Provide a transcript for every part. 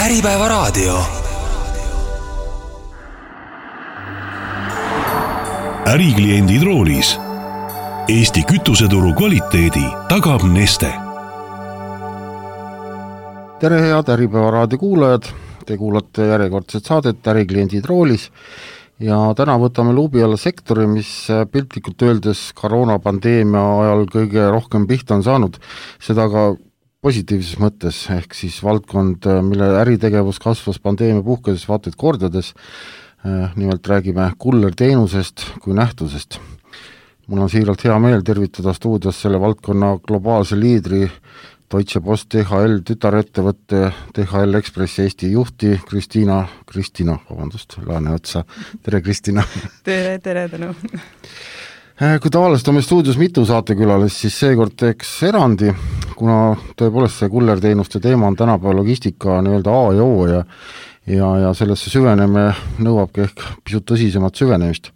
Äripäevaraadio. Ärikliendid roolis. Eesti kütuseturu kvaliteedi tagab Neste. Tere head Äripäevaraadio kuulajad, te kuulate järjekordset saadet Ärikliendid roolis ja täna võtame luubi alla sektori, mis piltlikult öeldes koroonapandeemia ajal kõige rohkem pihta on saanud, seda ka positiivses mõttes, ehk siis valdkond, mille äritegevus kasvas pandeemia puhkedes vaataid kordades, nimelt räägime kullerteenusest kui nähtusest. Mul on siiralt hea meel tervitada stuudios selle valdkonna globaalse liidri Deutsche Post DHL tütarettevõtte DHL Express Eesti juhti Kristina Laaneotsa. Tere, Kristina! Tere, tänu! Kui tavaliselt on meil stuudios mitu saatekülalist, siis seekord teeks erandi, kuna tõepoolest see kullerteenuste teema on tänapäeva logistika nii-öelda A ja O ja sellesse süveneme nõuabki ehk pisut tõsisemat süvenemist.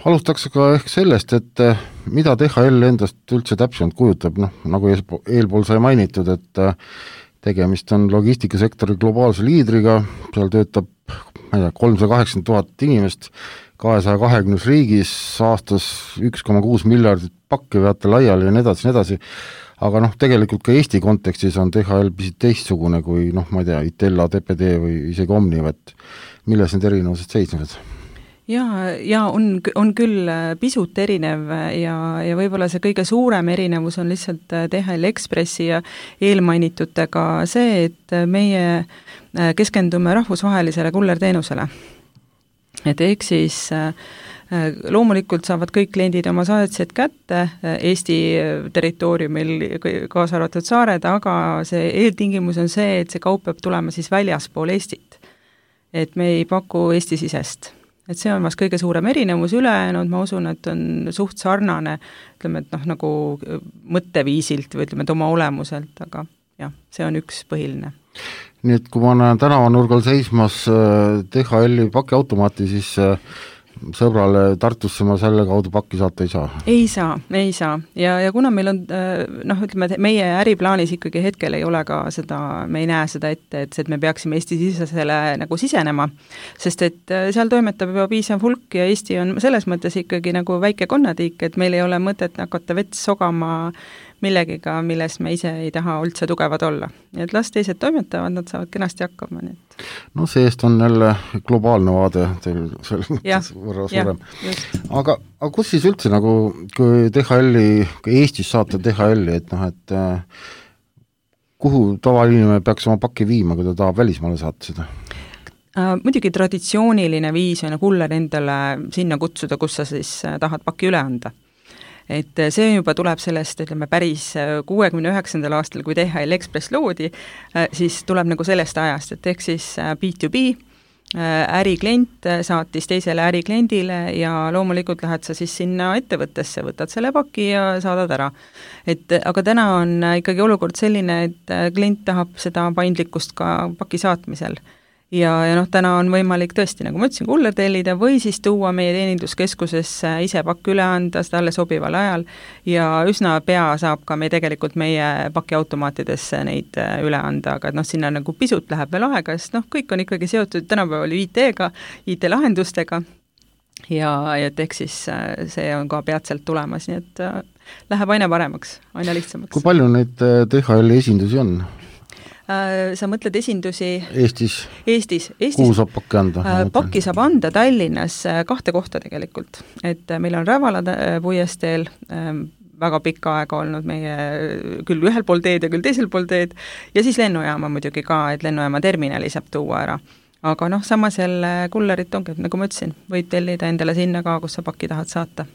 Alustaks ka ehk sellest, et mida DHL endast üldse täpsemalt kujutab, nagu eelpool sai mainitud, et tegemist on logistikasektori globaalse liidriga, seal töötab 380 000 inimest 220 riigis, aastas 1,6 miljardit pakki veate laiali ja nii edasi, aga tegelikult ka Eesti kontekstis on DHL pisut teistsugune kui, ma ei tea, Itella, TPD või isegi Omniv, et milles need erinevused seisnevad? Ja on küll pisut erinev ja võib-olla see kõige suurem erinevus on lihtsalt DHL Expressi ja eelmainitutega see, et meie keskendume rahvusvahelisele kullerteenusele. Et ehk siis loomulikult saavad kõik kliendid oma saatsed kätte Eesti territooriumil kaasa arvatud saared, aga see eeltingimus on see, et see kaup peab tulema siis väljaspool Eestit. Et me ei paku Eesti-sisest. Et see on vast kõige suurem erinevus ülejäänud, ma usun, et on suht sarnane, ütleme, et nagu mõtteviisilt või ütleme, et oma olemuselt, aga jah, see on üks põhiline. Nii et kui ma näen tänavanurgal seismas DHL-i pakiautomaati, siis sõbrale Tartusse ma selle kaudu pakki saata ei saa? Ei saa. Ja kuna meil on, ütleme, et meie äriplaanis ikkagi hetkel ei ole ka seda, me ei näe seda ette, et me peaksime Eesti-sisesele nagu sisenema, sest et seal toimetab juba piisav hulk ja Eesti on selles mõttes ikkagi nagu väike konnatiik, et meil ei ole mõtet hakata vets sogama millegiga, milles me ise ei taha üldse tugevad olla. Nii et las teised toimetavad, nad saavad kenasti hakkama. Nii. Seest on jälle globaalne vaade teil selles mõttes võrra suurem. Aga kus siis üldse kui DHL-i, kui Eestis saata DHL-i, et kuhu tavaline peaks oma pakki viima, kui ta tahab välismaale saata seda? Muidugi traditsiooniline viis on kuller endale sinna kutsuda, kus sa siis tahad pakki üle anda. Et see juba tuleb sellest, ütleme, päris 69. aastal, kui DHL Express loodi, siis tuleb nagu sellest ajast, et ehk siis B2B, äriklient saatis teisele ärikliendile ja loomulikult lähed sa siis sinna ettevõttesse, võtad selle paki ja saadad ära. Aga täna on ikkagi olukord selline, et klient tahab seda paindlikkust ka paki saatmisel. Ja täna on võimalik tõesti, nagu ma ütlesin, kuller tellida või siis tuua meie teeninduskeskusesse ise pakk üle anda talle sobival ajal ja üsna pea saab ka tegelikult meie pakiautomaatidesse neid üle anda, aga sinna nagu pisut läheb veel aega, sest kõik on ikkagi seotud tänapäeval IT-ga, IT-lahendustega ja ehk siis see on ka peatselt tulemas, nii et läheb aina paremaks, aina lihtsamaks. Kui palju neid DHL esindusi on? Sa mõtled esindusi Eestis. Kuhu saab pakki anda? Pakki saab anda Tallinnas 2 kohta tegelikult. Et meil on Rävala puiesteel väga pikka aega olnud meie küll ühel pool teed ja küll teisel pool teed ja siis lennujaama muidugi ka, et lennujaama terminali saab tuua ära. Aga samas jälle kullerit ongi, nagu ma ütlesin, võid tellida endale sinna ka, kus sa pakki tahad saata.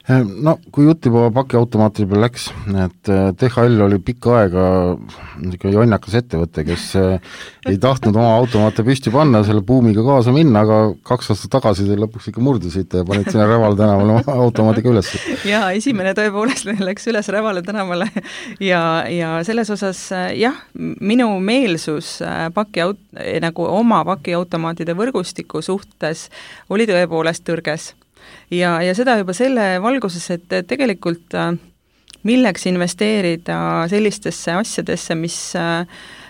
Kui jutt juba pakiautomaatide peal läks, et DHL oli pikka aega jonnakas ettevõte, kes ei tahtnud oma automaate püsti panna, selle buumiga kaasa minna, aga 2 aastat tagasi te lõpuks ikka murdusite ja panid sinna Rävala tänavale oma automaadiga üles. Ja esimene tõepoolest läks üles Rävala tänavale ja selles osas minu meelsus nagu oma pakiautomaatide võrgustiku suhtes oli tõepoolest tõrges. Ja seda juba selle valguses, et tegelikult milleks investeerida sellistesse asjadesse, mis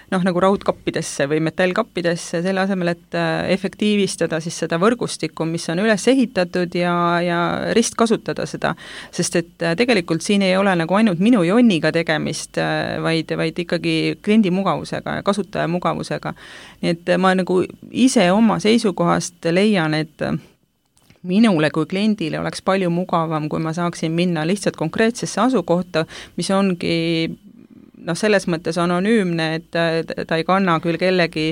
nagu raudkappidesse või metallkappidesse, selle asemel, et efektiivistada siis seda võrgustikku, mis on üles ehitatud ja ristkasutada seda. Sest et tegelikult siin ei ole nagu ainult minu jonniga tegemist, vaid ikkagi kliendi mugavusega ja kasutaja mugavusega. Nii et ma nagu ise oma seisukohast leian, et minule kui kliendile oleks palju mugavam, kui ma saaksin minna lihtsalt konkreetsesse asukohta, mis ongi selles mõttes anonüümne, et ta ei kanna küll kellegi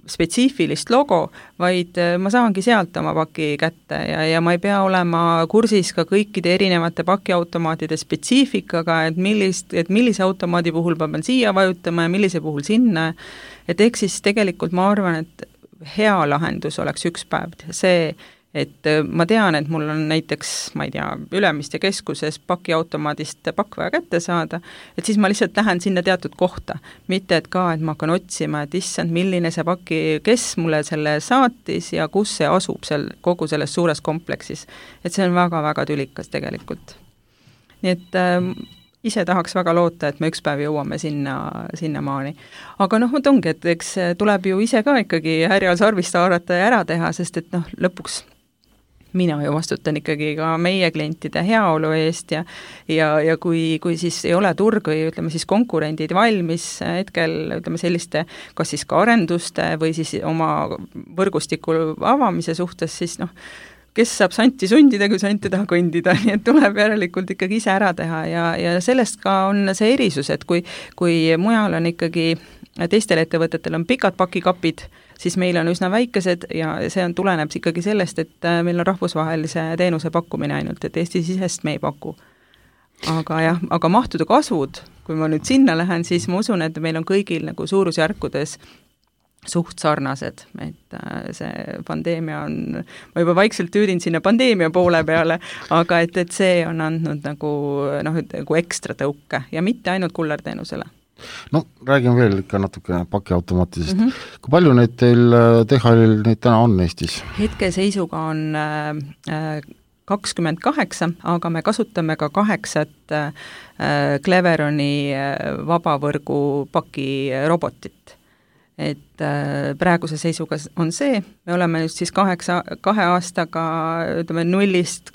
spetsiifilist logo, vaid ma saangi sealt oma paki kätte ja ma ei pea olema kursis ka kõikide erinevate pakiautomaatide spetsiifikaga, et millise automaadi puhul ma pean siia vajutama ja millise puhul sinna, et ehk siis tegelikult ma arvan, et hea lahendus oleks üks päev see, et ma tean, et mul on näiteks, ma ei tea, Ülemiste keskuses pakiautomaadist pakk vaja kätte saada, et siis ma lihtsalt lähen sinna teatud kohta. Mitte, et ma hakkan otsima, et issand, milline see paki, kes mulle selle saatis ja kus see asub kogu selles suures kompleksis. Et see on väga-väga tülikas tegelikult. Nii et ise tahaks väga loota, et me üks päev jõuame sinna maani. Aga vot ongi, et eks tuleb ju ise ka ikkagi härjal sarvist haarata ja ära teha, sest et lõpuks mina ju vastutan ikkagi ka meie klientide heaolu eest ja kui siis ei ole turg või ütleme siis konkurendid valmis hetkel selliste kas siis ka arenduste või siis oma võrgustiku avamise suhtes, siis kes saab santi sundida, kui sant ei taha kõndida, nii et tuleb järelikult ikkagi ise ära teha ja sellest ka on see erisus, et kui mujal on ikkagi teistel ettevõtetel on pikad pakikapid, siis meil on üsna väikesed ja see tuleneb ikkagi sellest, et meil on rahvusvahelise teenuse pakkumine ainult, et Eesti-sisest me ei paku. Aga mahtude kasvud, kui ma nüüd sinna lähen, siis ma usun, et meil on kõigil nagu suurusjärkudes suht sarnased, et see pandeemia on, ma juba vaikselt tüürin sinna pandeemia poole peale, aga et see on andnud nagu ekstra tõuke ja mitte ainult kullerteenusele. Räägime veel ikka natuke pakiautomaatisest. Kui palju neid teil DHL-il neid täna on Eestis? Hetkeseisuga on 28, aga me kasutame ka 8 Cleveroni vabavõrgu pakirobotit. Et praeguse seisuga on see, me oleme just siis 2 aastaga nullist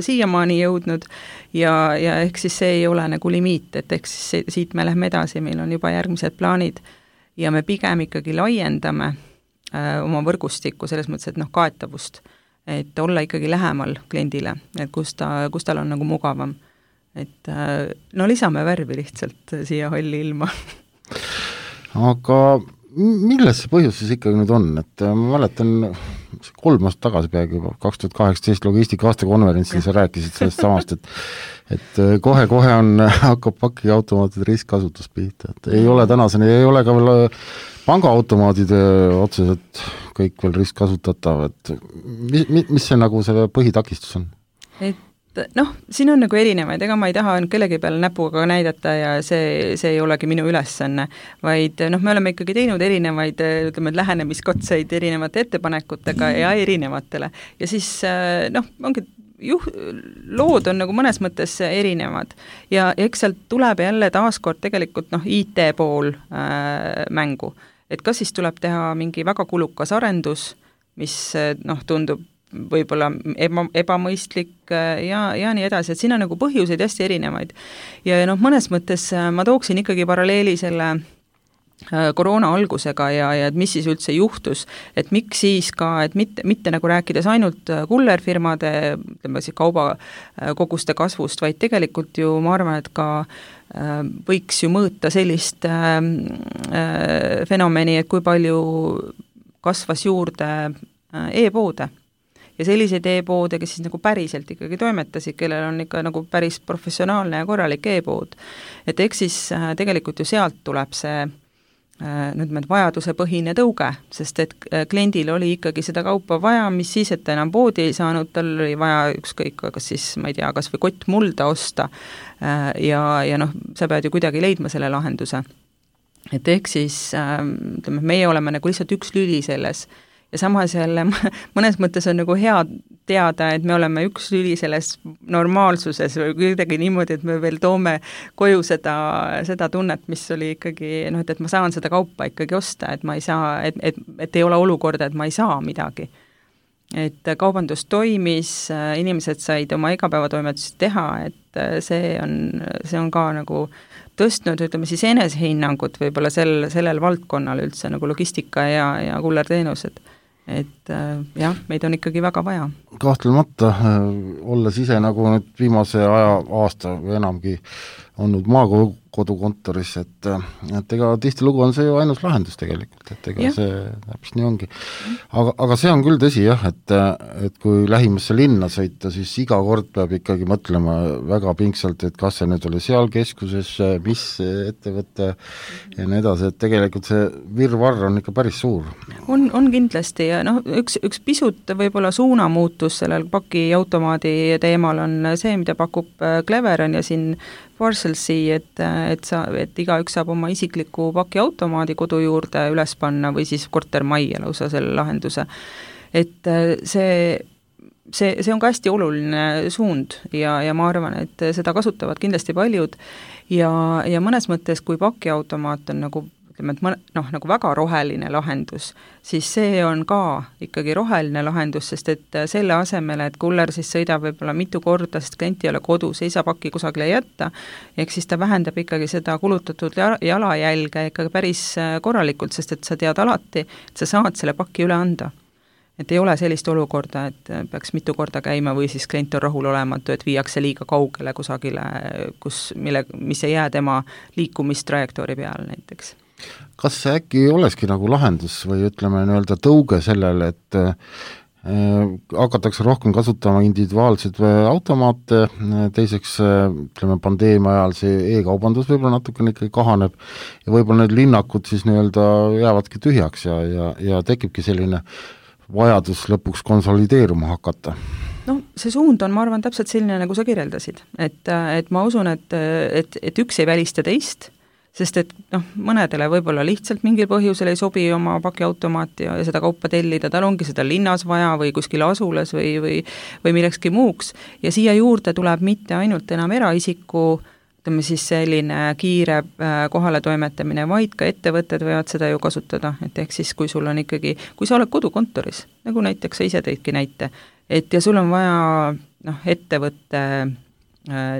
siiamaani jõudnud ja ehk siis see ei ole nagu limiit, et ehk siis siit me lähme edasi, meil on juba järgmised plaanid ja me pigem ikkagi laiendame oma võrgustikku selles mõttes, et kaetavust, et olla ikkagi lähemal kliendile, et kus tal on nagu mugavam. Et lisame värvi lihtsalt siia halli ilma. Aga milles see põhjus siis ikkagi nüüd on, et ma mäletan 3 aastat tagasi peagi juba 2018 logistika aastakonverentsil sa rääkisid sellest samast, et kohe-kohe hakkab pakiautomaatide ristkasutust pihta, et ei ole tänaseni, ei ole ka veel pangaautomaadide otseselt kõik veel ristkasutatav, et mis see nagu selle põhitakistus on? Siin on nagu erinevaid, ega ma ei taha kellegi peale näpuga näidata ja see ei olegi minu ülesanne, vaid me oleme ikkagi teinud erinevaid lähenemiskatseid erinevate ettepanekutega ja erinevatele. Ja siis ongi lood on nagu mõnes mõttes erinevad ja eks sealt tuleb jälle taaskord tegelikult IT pool mängu. Et kas siis tuleb teha mingi väga kulukas arendus, mis tundub võib-olla ebamõistlik ja nii edasi, et siin on nagu põhjuseid hästi erinevaid. Ja mõnes mõttes ma tooksin ikkagi paralleeli selle koroona algusega ja mis siis üldse juhtus, et miks siis ka, et mitte nagu rääkides ainult kullerfirmade kaubakoguste kasvust, vaid tegelikult ju ma arvan, et ka võiks ju mõõta sellist fenomeni, et kui palju kasvas juurde e-poode. Ja selliseid e-poode, kes siis nagu päriselt ikkagi toimetasid, kellel on ikka nagu päris professionaalne ja korralik e-pood. Et eks siis tegelikult ju sealt tuleb see vajaduse põhine tõuge, sest et kliendil oli ikkagi seda kaupa vaja, mis siis, et ta enam poodi ei saanud, tal oli vaja ükskõik, kas siis, ma ei tea, kas või kott mulda osta ja sa pead ju kuidagi leidma selle lahenduse. Et ehk siis meie oleme nagu lihtsalt üks lüli selles ja samas jälle mõnes mõttes on nagu hea teada, et me oleme üks lüli selles normaalsuses või kuidagi niimoodi, et me veel toome koju seda tunnet, mis oli ikkagi, et ma saan seda kaupa ikkagi osta, et ma ei saa, et ei ole olukorda, et ma ei saa midagi. Et kaubandus toimis, inimesed said oma igapäevatoimetusi teha, et see on ka nagu tõstnud, ütleme siis enesehinnangut võib-olla sellel valdkonnal üldse nagu logistika ja kullerteenused. Et jah, meid on ikkagi väga vaja. Kahtlemata, olles ise nagu nüüd viimase aasta või enamgi olnud maakodukontoris, et ega tihtilugu on see ju ainus lahendus tegelikult, et ega see täpselt nii ongi. Aga see on küll tõsi jah, et kui lähimasse linna sõita, siis iga kord peab ikkagi mõtlema väga pingsalt, et kas see nüüd oli seal keskuses, mis ettevõte ja nii edasi, et tegelikult see virvarr on ikka päris suur. On kindlasti ja üks pisut võib-olla suunamuutus sellel pakiautomaadi teemal on see, mida pakub Cleveron ja siin Parcelsi, et igaüks saab oma isikliku pakiautomaadi kodu juurde üles panna või siis kortermajja lausa selle lahenduse. Et see on ka hästi oluline suund ja ma arvan, et seda kasutavad kindlasti paljud ja mõnes mõttes, kui pakiautomaat on nagu nagu väga roheline lahendus, siis see on ka ikkagi roheline lahendus, sest et selle asemel, et kuller siis sõidab võib-olla mitu korda, sest klient ei ole kodus, ei saa pakki kusagile jätta, ehk siis ta vähendab ikkagi seda kulutatud jalajälge ikkagi päris korralikult, sest et sa tead alati, et sa saad selle pakki üle anda. Et ei ole sellist olukorda, et peaks mitu korda käima või siis klient on rahul olematu, et viiakse liiga kaugele kusagile, mis ei jää tema liikumistrajektoori peal näiteks. Kas see äkki olekski nagu lahendus või ütleme nii-öelda tõuge sellele, et hakatakse rohkem kasutama individuaalseid automaate, teiseks ütleme pandeemia ajal see e-kaubandus võib-olla natukene ikkagi kahaneb ja võib-olla need linnakud siis nii-öelda jäävadki tühjaks ja tekibki selline vajadus lõpuks konsolideeruma hakata? See suund on, ma arvan, täpselt selline, nagu sa kirjeldasid, et ma usun, et üks ei välista teist, sest et mõnedele võib-olla lihtsalt mingil põhjusel ei sobi oma pakiautomaati ja seda kaupa tellida, tal ongi seda linnas vaja või kuskil asulas või millekski muuks ja siia juurde tuleb mitte ainult enam eraisiku, ütleme siis selline kiire kohale toimetamine, vaid ka ettevõtted võivad seda ju kasutada, et ehk siis kui sul on ikkagi, kui sa oled kodukontoris, nagu näiteks sa ise tõidki näite, et ja sul on vaja ettevõtte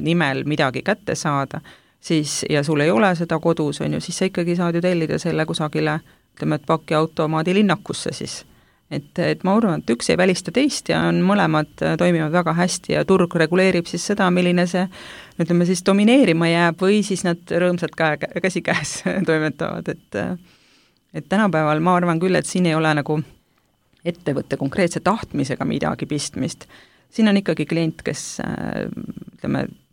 nimel midagi kätte saada, siis, ja sul ei ole seda kodus, on ju, siis sa ikkagi saad ju tellida selle kusagile, ütleme, et pakiautomaadi linnakusse siis. Et ma arvan, et üks ei välista teist ja mõlemad toimivad väga hästi ja turg reguleerib siis seda, milline see, ütleme siis domineerima jääb või siis nad rõõmsalt käsikäes toimetavad, et tänapäeval ma arvan küll, et siin ei ole nagu ettevõtte konkreetse tahtmisega midagi pistmist. Siin on ikkagi klient, kes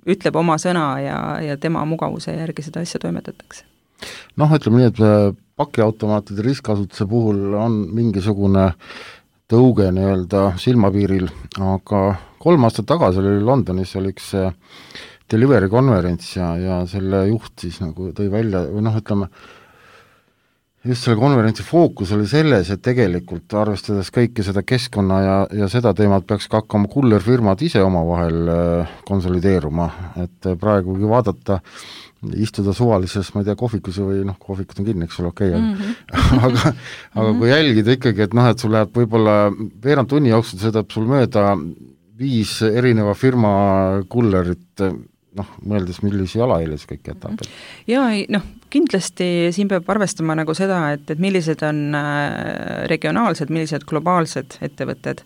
ütleb oma sõna ja tema mugavuse järgi seda asja toimetatakse. Ütleme nii, et pakiautomaatide ristkasutuse puhul on mingisugune tõuge nii-öelda silmapiiril, aga 3 aastat tagasi oli Londonis oli üks delivery konverents ja selle juht siis nagu tõi välja, või ütleme, just selle konverentsi fookus oli selles, et tegelikult arvestades kõike seda keskkonna ja seda teemat peaks ka hakkama kullerfirmad ise omavahel konsolideeruma, et praegugi vaadata, istuda suvalises, ma ei tea, kohvikus või kohvikud on kinni, eks ole, okei, aga kui jälgida ikkagi, et sul läheb võib-olla veerand tunni jooksul sõidab sul mööda 5 erineva firma kullerit, mõeldes, millisi jalajäljes kõik jätab. Jaa, kindlasti siin peab arvestama nagu seda, et millised on regionaalsed, millised globaalsed ettevõtted.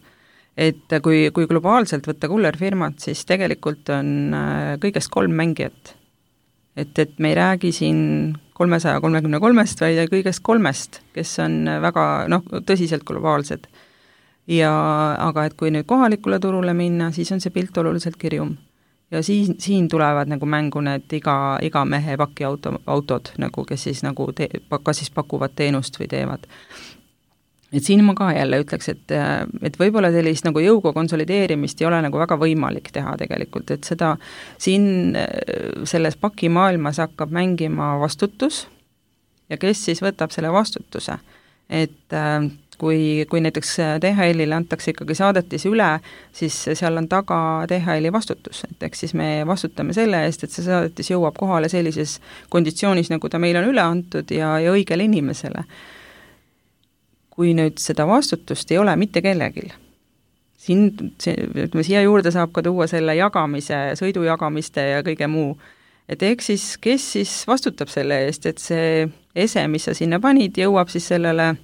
Et kui globaalselt võtta kullerfirmat, siis tegelikult on kõigest 3 mängijat. Et me ei räägi siin 333-st, vaid kõigest 3, kes on väga tõsiselt globaalsed. Aga et kui nüüd kohalikule turule minna, siis on see pilt oluliselt kirjum. Ja siin tulevad nagu mängu need iga mehe pakiautod, nagu, kes siis nagu kas siis pakuvad teenust või teevad. Et siin ma ka jälle ütleks, et võib-olla sellist nagu jõuga konsolideerimist ei ole nagu väga võimalik teha tegelikult, et seda siin selles pakimaailmas hakkab mängima vastutus ja kes siis võtab selle vastutuse. Et kui näiteks DHL-ile antakse ikkagi saadetis üle, siis seal on taga DHL-i vastutus, et eks siis me vastutame selle eest, et see saadetis jõuab kohale sellises konditsioonis, nagu ta meil on üle antud ja õigele inimesele. Kui nüüd seda vastutust ei ole mitte kellegil, siia juurde saab ka tuua selle jagamise, sõidujagamiste ja kõige muu, et eks siis, kes siis vastutab selle eest, et see ese, mis sa sinna panid, jõuab siis sellele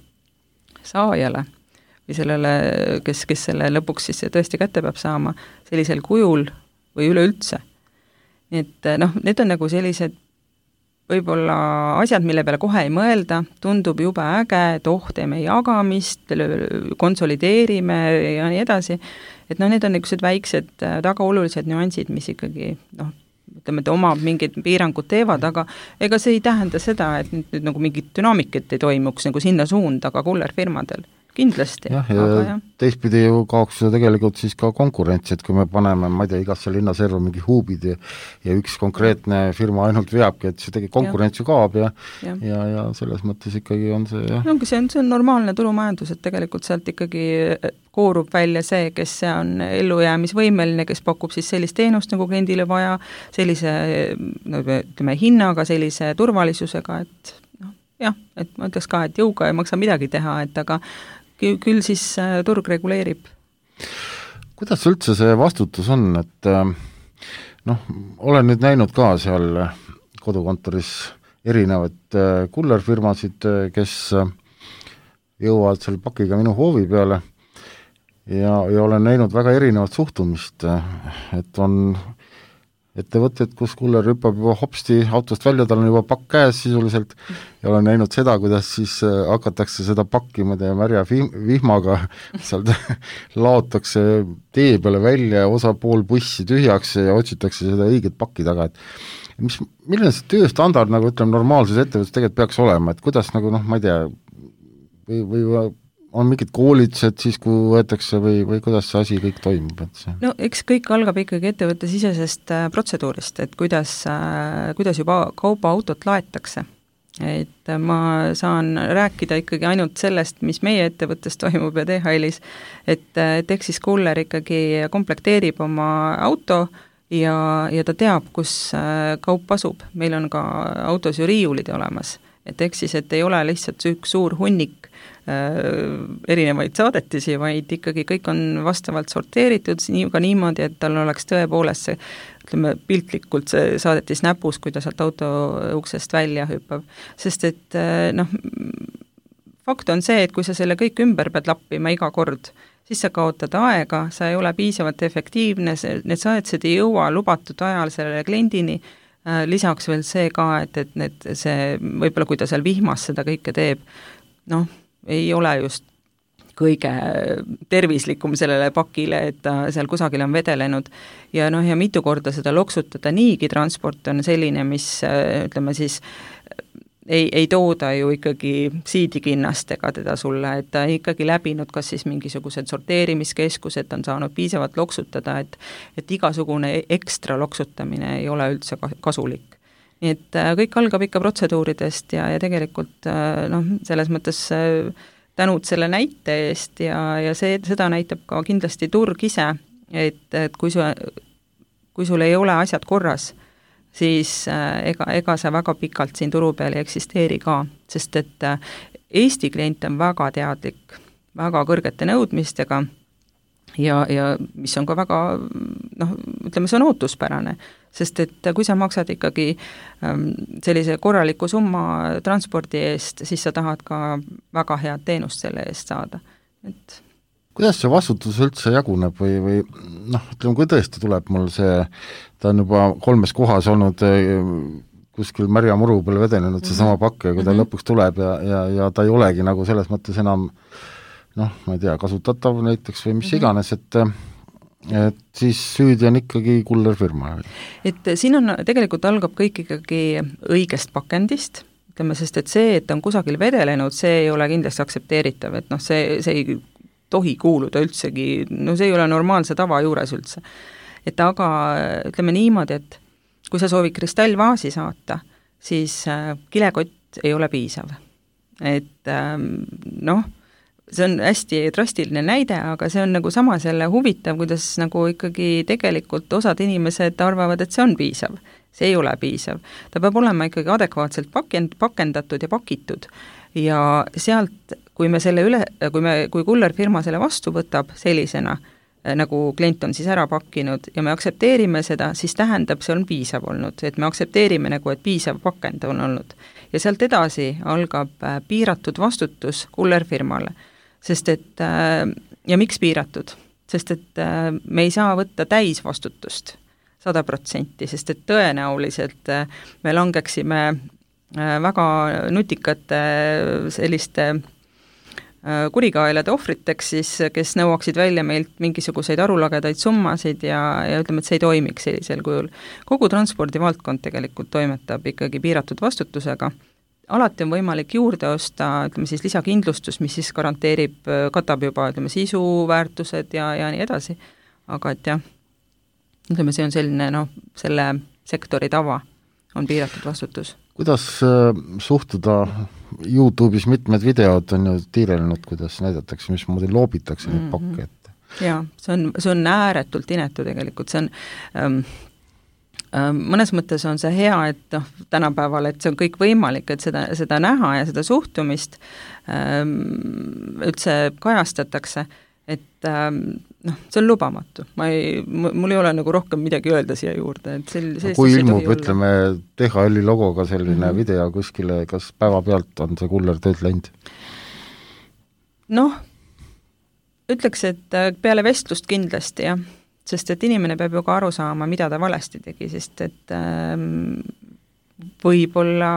saajale või sellele, kes selle lõpuks siis tõesti kätte peab saama sellisel kujul või üleüldse. Nii et need on nagu sellised võib-olla asjad, mille peale kohe ei mõelda, tundub jube äge, et teeme jagamist, konsolideerime ja nii edasi, et need on niisugused väiksed tagaolulised nüansid, mis ikkagi ütleme, et omab mingid piirangud teevad, aga ega see ei tähenda seda, et nüüd nagu mingit dünaamikit ei toimuks nagu sinna suunda ka kullerfirmadel. Kindlasti. Ja teistpidi ju kaoks seda tegelikult siis ka konkurentsi, et kui me paneme, ma ei tea, igasse linnaserva mingi huubid ja üks konkreetne firma ainult veabki, et see tegelikult konkurents ju kaob ja selles mõttes ikkagi on see see on normaalne turumajandus, et tegelikult sealt ikkagi koorub välja see, kes on ellujäämisvõimeline, kes pakub siis sellist teenust nagu kliendile vaja, sellise ütleme hinnaga, sellise turvalisusega, et et ma ütleks ka, et jõuga ei maksa midagi teha, et aga küll siis turg reguleerib. Kuidas üldse see vastutus on, et olen nüüd näinud ka seal kodukontoris erinevaid kullerfirmasid, kes jõuavad selle pakiga minu hoovi peale ja olen näinud väga erinevat suhtumist, et on ettevõtted, kus kuller hüppab juba hopsti autost välja, tal on juba pakk käes sisuliselt ja olen näinud seda, kuidas siis hakatakse seda pakki märja vihmaga, sealt laotakse tee peale välja ja osa pool bussi tühjaks ja otsitakse seda õiget pakki taga, et milline see tööstandard, nagu ütleme, normaalses ettevõttes tegelikult peaks olema, et kuidas nagu ma ei tea, või on mingid koolitused siis, kui võetakse või kuidas see asi kõik toimub? Eks kõik algab ikkagi ettevõtte sisesest protseduurist, et kuidas juba kaubaautot laetakse. Et ma saan rääkida ikkagi ainult sellest, mis meie ettevõttes toimub ja DHL-is, et eks siis kuller ikkagi komplekteerib oma auto ja ta teab, kus kaup asub. Meil on ka autos ju riiulid olemas, et eks siis, et ei ole lihtsalt üks suur hunnik erinevaid saadetisi, vaid ikkagi kõik on vastavalt sorteeritud ka niimoodi, et tal oleks tõepoolest see, ütleme, piltlikult see saadetis näpus, kui ta sealt auto uksest välja hüppab. Sest et fakt on see, et kui sa selle kõik ümber pead lappima iga kord, siis sa kaotad aega, sa ei ole piisavalt efektiivne, need saadetised ei jõua lubatud ajal sellele kliendini, lisaks veel see ka, et see võib-olla kui ta seal vihmas seda kõike teeb, ei ole just kõige tervislikum sellele pakile, et ta seal kusagil on vedelenud ja mitu korda seda loksutada, niigi transport on selline, mis ütleme siis ei tooda ju ikkagi siidikinnastega teda sulle, et ta ikkagi läbinud kas siis mingisugused sorteerimiskeskused, on saanud piisavalt loksutada, et igasugune ekstra loksutamine ei ole üldse kasulik. Nii et kõik algab ikka protseduuridest ja tegelikult selles mõttes tänud selle näite eest ja seda näitab ka kindlasti turg ise, et kui sul ei ole asjad korras, siis ega see väga pikalt siin turu peal ei eksisteeri ka, sest et Eesti klient on väga teadlik, väga kõrgete nõudmistega ja mis on ka väga, ütleme, see on ootuspärane, sest et kui sa maksad ikkagi sellise korraliku summa transpordi eest, siis sa tahad ka väga head teenust selle eest saada. Et kuidas see vastutus üldse jaguneb või ütleme, kui tõesti tuleb mul see, ta on juba 3 kohas olnud kuskil märja muru peale vedenenud seesama pakk ja kui ta lõpuks tuleb ja ta ei olegi nagu selles mõttes enam ma ei tea, kasutatav näiteks või mis iganes, et siis süüdi on ikkagi kullerfirma. Et siin on, tegelikult algab kõik ikkagi õigest pakendist, ütleme, sest et see, et on kusagil vedelenud, see ei ole kindlasti aktsepteeritav, et see ei tohi kuuluda üldsegi, see ei ole normaalse tava juures üldse. Et aga ütleme niimoodi, et kui sa soovid kristallvaasi saata, siis kilekott ei ole piisav. Et see on hästi drastiline näide, aga see on nagu samas jälle huvitav, kuidas nagu ikkagi tegelikult osad inimesed arvavad, et see on piisav. See ei ole piisav. Ta peab olema ikkagi adekvaatselt pakendatud ja pakitud ja sealt, kui me selle kui kullerfirma selle vastu võtab sellisena, nagu klient on siis ära pakkinud ja me aktsepteerime seda, siis tähendab, see on piisav olnud, et me aktsepteerime nagu, et piisav pakend on olnud. Ja sealt edasi algab piiratud vastutus kullerfirmale, sest et, ja miks piiratud? Sest et me ei saa võtta täisvastutust 100%, sest et tõenäoliselt me langeksime väga nutikate selliste kurikaelade ohvriteks siis, kes nõuaksid välja meilt mingisuguseid arulagedaid summasid ja ütleme, et see ei toimiks sellisel kujul. Kogu transpordivaldkond tegelikult toimetab ikkagi piiratud vastutusega. Alati on võimalik juurde osta, ütleme siis lisakindlustus, mis siis garanteerib, katab juba, ütleme, sisuväärtused ja nii edasi. Aga et jah, ütleme, see on selline, selle sektori tava on piiratud vastutus. Kuidas suhtuda YouTube'is mitmed videod on ju tiirelnud, kuidas näidatakse, mismoodi loobitakse neid pakke ette? Jaa, see on ääretult inetu tegelikult, see on mõnes mõttes on see hea, et tänapäeval, et see on kõik võimalik, et seda näha ja seda suhtumist üldse kajastatakse, et see on lubamatu. Mul ei ole nagu rohkem midagi öelda siia juurde. Et kui ilmub, ütleme, DHL-i logoga selline video kuskile, kas päeva pealt on see kuller tööd läinud? Ütleks, et peale vestlust kindlasti, jah. Sest et inimene peab ju ka aru saama, mida ta valesti tegi, sest et võib-olla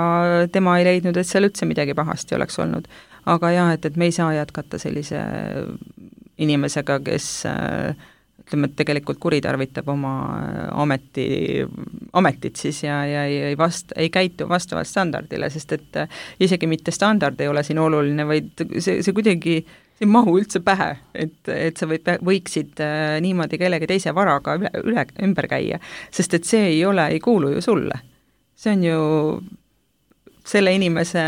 tema ei leidnud, et seal üldse midagi pahasti oleks olnud. Aga jah, et me ei saa jätkata sellise inimesega, kes ütleme, et tegelikult kuritarvitab oma ametit siis ja ei käitu vastavalt standardile, sest et isegi mitte standard ei ole siin oluline, vaid see kuidagi ei mahu üldse pähe, et sa võiksid niimoodi kellegi teise varaga ümber käia, sest et see ei kuulu ju sulle. See on ju selle inimese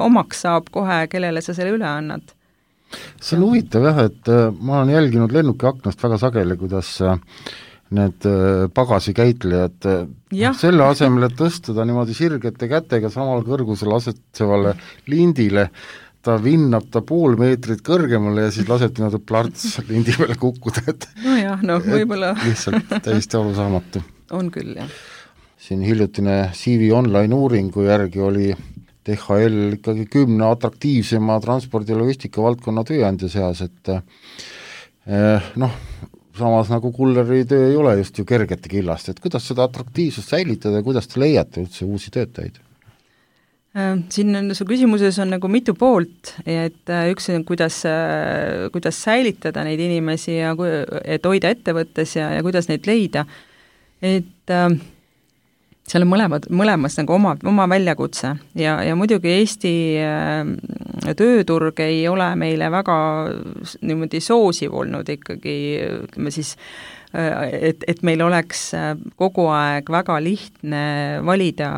omaks saab kohe, kellele sa selle üle annad. See on huvitav jah, et ma olen jälginud lennuki aknast väga sageli, kuidas need pagasikäitlejad selle asemel, et tõstuda niimoodi sirgete kätega samal kõrgusel asetsevale lindile, ta vinnab ta pool meetrit kõrgemale ja siis laseb niimoodi plärts lindi peale kukkuda, et võib-olla lihtsalt täiesti arusaamatu. On küll, jah. Siin hiljutine CV Online uuringu järgi oli DHL ikkagi 10 atraktiivsema transpordi- ja logistika valdkonna tööandja seas, et samas nagu kulleri töö ei ole just ju kergete killast, et kuidas seda atraktiivsust säilitada ja kuidas te leiate üldse uusi töötajaid? Siin su küsimuses on nagu mitu poolt, et üks on, kuidas säilitada neid inimesi ja et hoida ettevõttes ja kuidas neid leida, et seal on mõlemas nagu oma väljakutse ja muidugi Eesti tööturg ei ole meile väga niimoodi soosiv olnud ikkagi, ütleme siis, et meil oleks kogu aeg väga lihtne valida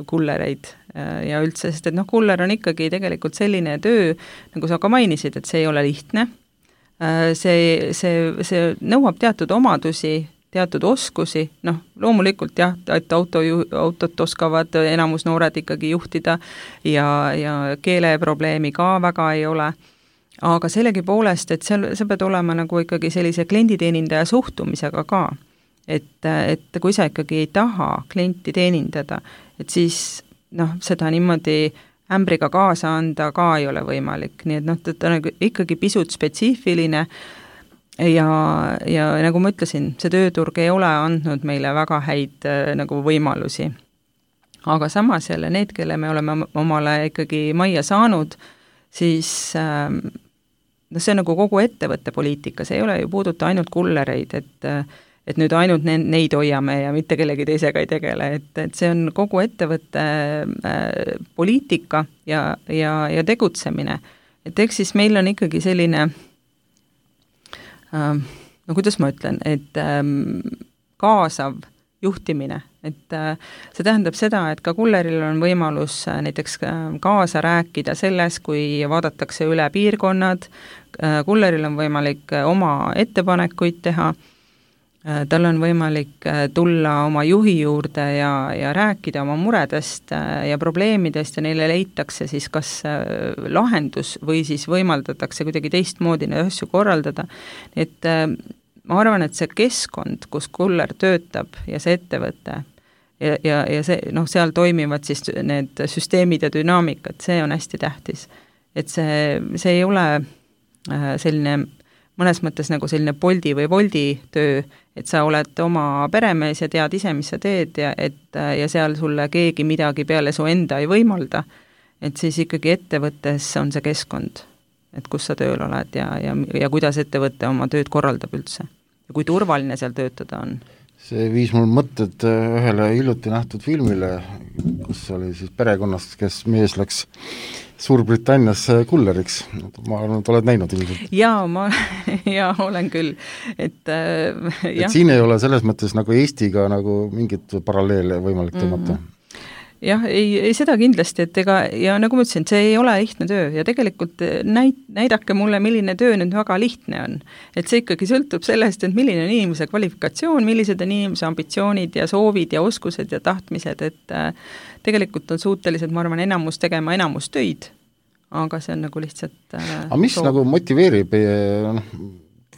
kullereid ja üldse, sest et kuller on ikkagi tegelikult selline töö, nagu sa ka mainisid, et see ei ole lihtne, see nõuab teatud omadusi, teatud oskusi, loomulikult jah, et autot oskavad enamus noored ikkagi juhtida ja keeleprobleemi ka väga ei ole, aga sellegi poolest, et sa pead olema nagu ikkagi sellise klienditeenindaja suhtumisega ka, et kui sa ikkagi ei taha klienti teenindada, et siis seda niimoodi ämbriga kaasa anda ka ei ole võimalik, nii et ta on ikkagi pisut spetsiifiline ja nagu ma ütlesin, see tööturg ei ole andnud meile väga häid nagu võimalusi. Aga samas jälle need, kelle me oleme omale ikkagi majja saanud, siis see on nagu kogu ettevõtte poliitika, see ei ole ju puuduta ainult kullereid, et nüüd ainult neid hoiame ja mitte kellegi teisega ei tegele, et see on kogu ettevõtte poliitika ja tegutsemine. Et eks siis meil on ikkagi selline kuidas ma ütlen, et kaasav juhtimine, et see tähendab seda, et ka kulleril on võimalus näiteks kaasa rääkida selles, kui vaadatakse üle piirkonnad, kulleril on võimalik oma ettepanekuid teha, tal on võimalik tulla oma juhi juurde ja rääkida oma muredest ja probleemidest ja neile leitakse siis kas lahendus või siis võimaldatakse kuidagi teistmoodi neid asju korraldada, et ma arvan, et see keskkond, kus kuller töötab ja see ettevõte ja see, seal toimivad siis need süsteemid ja dünaamikad, see on hästi tähtis. Et see ei ole selline mõnes mõttes nagu selline Bolti või Wolti töö, et sa oled oma peremees ja tead ise, mis sa teed ja seal sulle keegi midagi peale su enda ei võimalda, et siis ikkagi ettevõttes on see keskkond, et kus sa tööl oled ja kuidas ettevõte oma tööd korraldab üldse ja kui turvaline seal töötada on. See viis mul mõtted ühele hiljuti nähtud filmile, kus oli siis perekonnast, kes mees läks Suurbritannias kulleriks. Ma arvan, et oled näinud ilmselt. Jaa, ma olen küll. Et siin ei ole selles mõttes nagu Eestiga nagu mingit paralleele võimalik tõmmata. Jah, ei seda kindlasti, et ja nagu ma ütlesin, see ei ole lihtne töö ja tegelikult näidake mulle, milline töö nüüd väga lihtne on. Et see ikkagi sõltub sellest, et milline on inimese kvalifikatsioon, millised on inimese ambitsioonid ja soovid ja oskused ja tahtmised, et tegelikult on suutelised, ma arvan, enamus tegema enamus töid, aga see on nagu lihtsalt aga mis nagu motiveerib,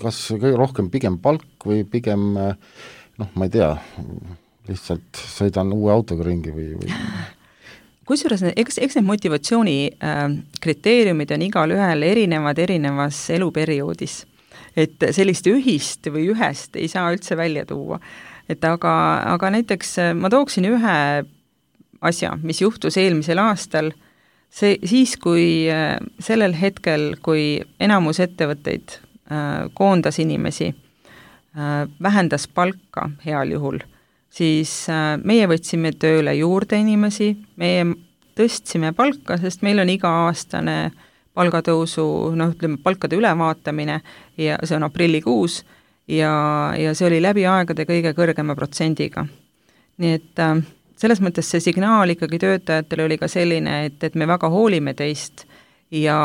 kas kõige rohkem pigem palk või pigem, ma ei tea, lihtsalt sõidan uue autoga ringi või? Kusjuures, eks need motivatsiooni kriteeriumid on igal ühel erinevas eluperioodis. Et sellist ühist või ühest ei saa üldse välja tuua. Et aga näiteks ma tooksin ühe asja, mis juhtus eelmisel aastal, siis kui sellel hetkel, kui enamus ettevõtteid koondas inimesi, vähendas palka heal juhul, siis meie võtsime tööle juurde inimesi, meie tõstsime palka, sest meil on iga-aastane palgatõusu, palkade ülevaatamine ja see on aprillikuus ja see oli läbi aegade kõige kõrgema protsendiga. Nii et selles mõttes see signaal ikkagi töötajatele oli ka selline, et me väga hoolime teist ja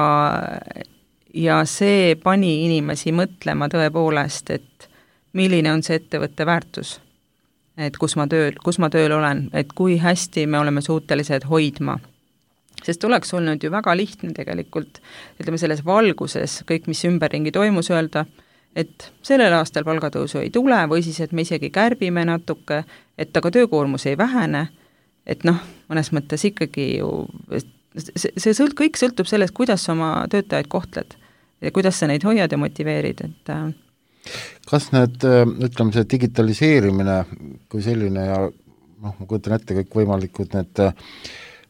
see pani inimesi mõtlema tõepoolest, et milline on see ettevõtte väärtus. Et kus ma tööl olen, et kui hästi me oleme suutelised hoidma. Sest oleks olnud ju väga lihtne tegelikult, ütleme selles valguses, kõik mis ümberringi toimus öelda, et sellel aastal palgatõusu ei tule või siis, et me isegi kärbime natuke, et aga töökoormus ei vähene, et mõnes mõttes ikkagi ju, kõik sõltub sellest, kuidas oma töötajaid kohtled ja kuidas sa neid hoiad ja motiveerid, et kas need, ütleme see digitaliseerimine kui selline ja ma kujutan ette kõik võimalikud need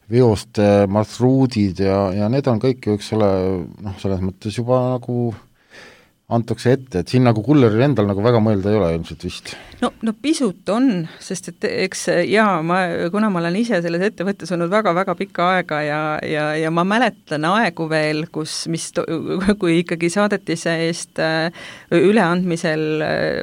veoste marsruudid ja need on kõik ju, eks ole, selles mõttes juba nagu antakse ette, et siin nagu kulleril endal nagu väga mõelda ei ole ilmselt vist. No pisut on, sest et eks kuna ma olen ise selles ettevõttes olnud väga-väga pikka aega ja ma mäletan aegu veel, kui ikkagi saadetise eest üleandmisel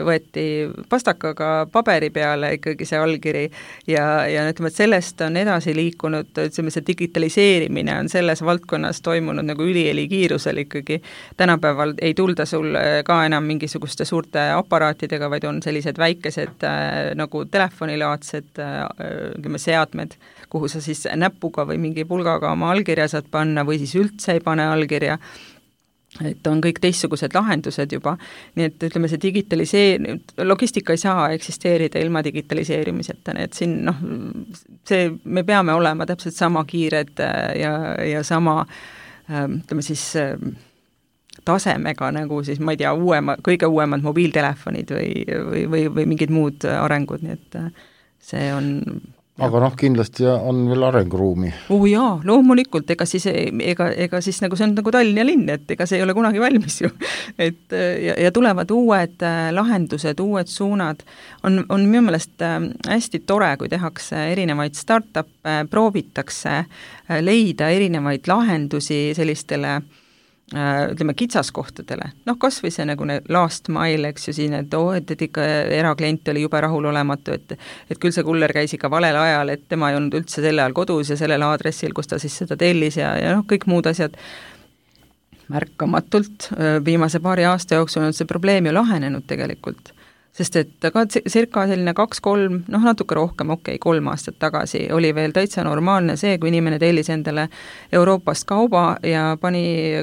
võeti pastakaga paberi peale ikkagi see allkiri ja ütleme, et sellest on edasi liikunud, ütleme, see digitaliseerimine on selles valdkonnas toimunud nagu üliheli kiirusel ikkagi. Tänapäeval ei tulda sul ka enam mingisuguste suurte aparaatidega, vaid on sellised väikesed nagu telefonilaadsed seadmed, kuhu sa siis näpuga või mingi pulgaga oma allkirja saad panna või siis üldse ei pane allkirja. Et on kõik teistsugused lahendused juba. Nii et ütleme, see logistika ei saa eksisteerida ilma digitaliseerimiseta, nii et siin me peame olema täpselt sama kiired ja sama ütleme siis tasemega nagu siis, ma ei tea, kõige uuemad mobiiltelefonid või mingid muud arengud, nii et see on... Aga kindlasti on veel arenguruumi. Jaa, loomulikult, ega siis nagu see on nagu Tallinna linn, et ega see ei ole kunagi valmis ju. Et, ja tulevad uued lahendused, uued suunad. On minu meelest hästi tore, kui tehakse erinevaid startup'e, proovitakse leida erinevaid lahendusi sellistele ütleme, kitsaskohtadele, kas või see nagu last mile, eks ju siin, et ikka eraklient oli jube rahulolematu, et küll see kuller käis ikka valel ajal, et tema ei olnud üldse sel ajal kodus ja sellel aadressil, kus ta siis seda tellis ja kõik muud asjad. Märkamatult viimase paari aasta jooksul on see probleem ju lahenenud tegelikult, sest et ka circa selline 2-3, natuke rohkem, 3 aastat tagasi oli veel täitsa normaalne see, kui inimene tellis endale Euroopast kauba ja pani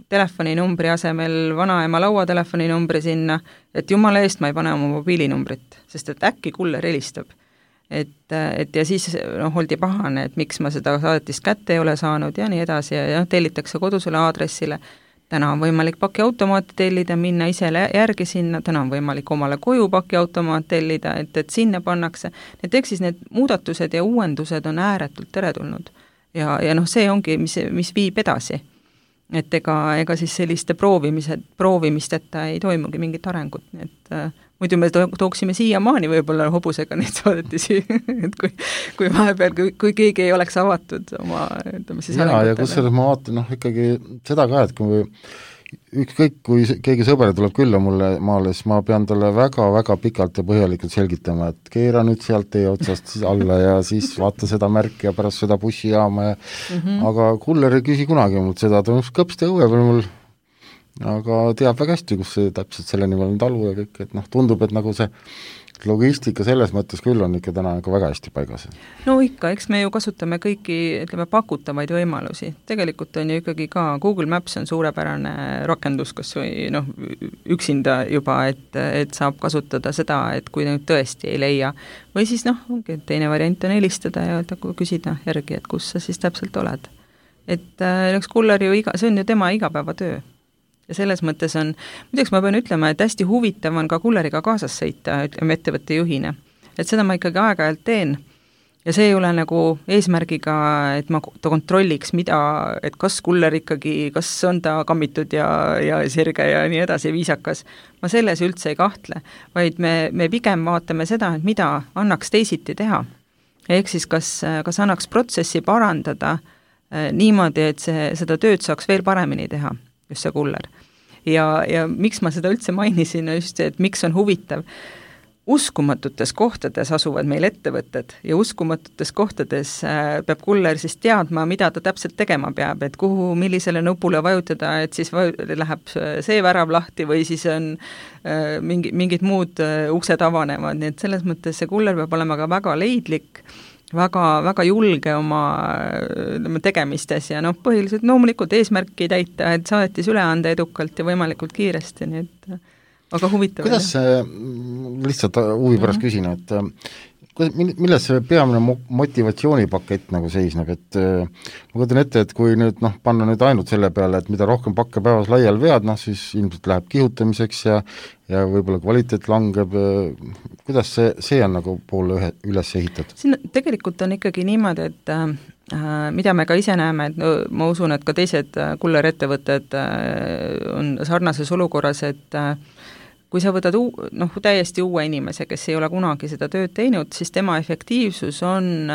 telefoninumbri asemel vanaema lauatelefoninumbri sinna, et jumala eest ma ei pane oma mobiilinumbrit, sest et äkki kuller helistab. Et ja siis oldi pahane, et miks ma seda saadetist kätte ei ole saanud ja nii edasi ja tellitakse kodusele aadressile. Täna on võimalik pakiautomaati tellida, minna ise järgi sinna, täna on võimalik omale koju pakiautomaat tellida, et sinna pannakse. Eks siis need muudatused ja uuendused on ääretult teretulnud. Ja see ongi, mis viib edasi. Et ega siis selliste proovimisteta ei toimugi mingit arengut, et muidu me tooksime siiamaani võib-olla hobusega neid saadetisi, et kui vahepeal, kui keegi ei oleks avatud oma, ütleme siis ja kus selles ma vaatan, ikkagi seda ka, et kui ükskõik, kui keegi sõber tuleb külla mulle maale, siis ma pean talle väga-väga pikalt ja põhjalikult selgitama, et keera nüüd sealt teie otsast alla ja siis vaata seda märki ja pärast seda bussijaama ja aga kuller ei küsi kunagi mult seda, ta on kõpste õue peal mul, aga teab väga hästi, kus see täpselt selle nimel on talu ja kõik, et tundub, et nagu see logistika selles mõttes küll on ikka täna väga hästi paigas. No ikka, eks me ju kasutame kõiki, ütleme, pakutavaid võimalusi. Tegelikult on ju ikkagi ka Google Maps on suurepärane rakendus, kas või üksinda juba, et saab kasutada seda, et kui nüüd tõesti ei leia. Või siis teine variant on helistada ja küsida järgi, et kus sa siis täpselt oled. Et kuller ju see on ju tema igapäevatöö. Ja selles mõttes on, muideks ma pean ütlema, et hästi huvitav on ka kulleriga kaasas sõita, ütleme ettevõtte juhina. Et seda ma ikkagi aeg-ajalt teen. Ja see ei ole nagu eesmärgiga, et ma kontrolliks, et kas kuller ikkagi, kas on ta kammitud ja sirge ja nii edasi viisakas. Ma selles üldse ei kahtle, vaid me pigem vaatame seda, et mida annaks teisiti teha. Ehk siis kas annaks protsessi parandada niimoodi, et seda tööd saaks veel paremini teha. Just see kuller. Ja miks ma seda üldse mainisin, just et miks on huvitav. Uskumatutes kohtades asuvad meil ettevõtted ja uskumatutes kohtades peab kuller siis teadma, mida ta täpselt tegema peab, et millisele nupule vajutada, et siis läheb see värav lahti või siis on mingid muud uksed avanevad, nii et selles mõttes see kuller peab olema ka väga leidlik, väga julge oma tegemistes ja põhiliselt loomulikult eesmärki täita, et saadetis üle anda edukalt ja võimalikult kiiresti, nii et väga huvitav. Kuidas see, lihtsalt huvi pärast küsin, et milles see peamine motivatsioonipakett nagu seisneb, et ma kujutan ette, et kui nüüd panna nüüd ainult selle peale, et mida rohkem pakke päevas laial vead, siis ilmselt läheb kihutamiseks ja võib-olla kvaliteet langeb, kuidas see on nagu poole üles ehitatud? Siin tegelikult on ikkagi niimoodi, et mida me ka ise näeme, et ma usun, et ka teised kullerettevõtted on sarnases olukorras, et kui sa võtad täiesti uue inimese, kes ei ole kunagi seda tööd teinud, siis tema efektiivsus on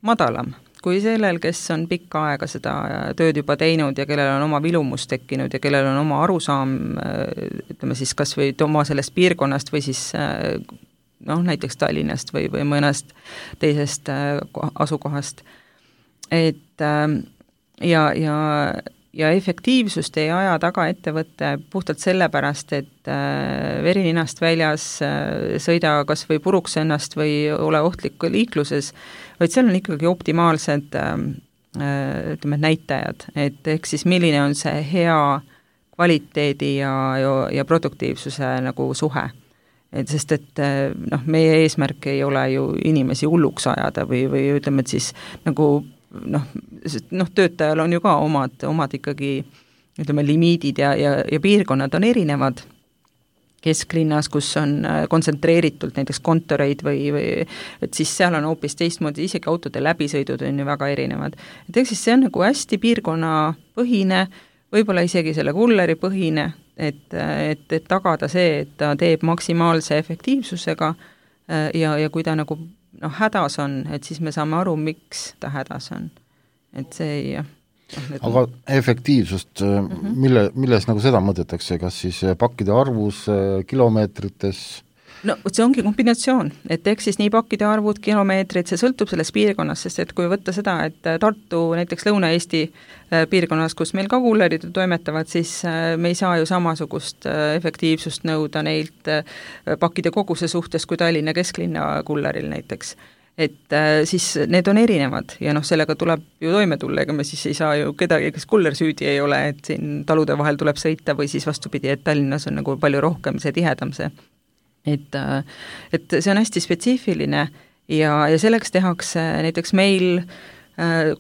madalam kui sellel, kes on pikka aega seda tööd juba teinud ja kellel on oma vilumus tekkinud ja kellel on oma arusaam, ütleme siis kas või oma sellest piirkonnast või siis näiteks Tallinnast või mõnest teisest asukohast. Et ja efektiivsust ei aja taga ettevõtte puhtalt sellepärast, et verininast väljas sõida kas või puruks ennast või ole ohtlik liikluses, vaid seal on ikkagi optimaalsed näitajad, et ehk siis milline on see hea kvaliteedi ja produktiivsuse nagu suhe. Sest et meie eesmärk ei ole ju inimesi hulluks ajada või ütleme, et siis nagu töötajal on ju ka omad ikkagi, ütleme, limiidid ja piirkonnad on erinevad. Kesklinnas, kus on kontsentreeritult näiteks kontoreid või et siis seal on hoopis teistmoodi, isegi autode läbisõidud on ju väga erinevad. Et ehk siis see on nagu hästi piirkonnapõhine, võib-olla isegi selle kulleri põhine, et tagada see, et ta teeb maksimaalse efektiivsusega ja kui ta nagu hädas on, et siis me saame aru, miks ta hädas on. Et see Aga efektiivsust, milles nagu seda mõõdetakse, kas siis pakkide arvus, kilomeetrites? No see ongi kombinatsioon, et eks siis nii pakkide arvud, kilomeetrid, see sõltub sellest piirkonnast, sest et kui võtta seda, et Tartu näiteks Lõuna-Eesti piirkonnas, kus meil ka kullerid toimetavad, siis me ei saa ju samasugust efektiivsust nõuda neilt pakkide koguse suhtes kui Tallinna kesklinna kulleril näiteks. Et siis need on erinevad ja sellega tuleb ju toime tulla, ega me siis ei saa ju kedagi, kes kuller süüdi ei ole, et siin talude vahel tuleb sõita või siis vastupidi, et Tallinnas on nagu palju rohkem see tihedam see. Et see on hästi spetsiifiline ja selleks tehakse näiteks meil,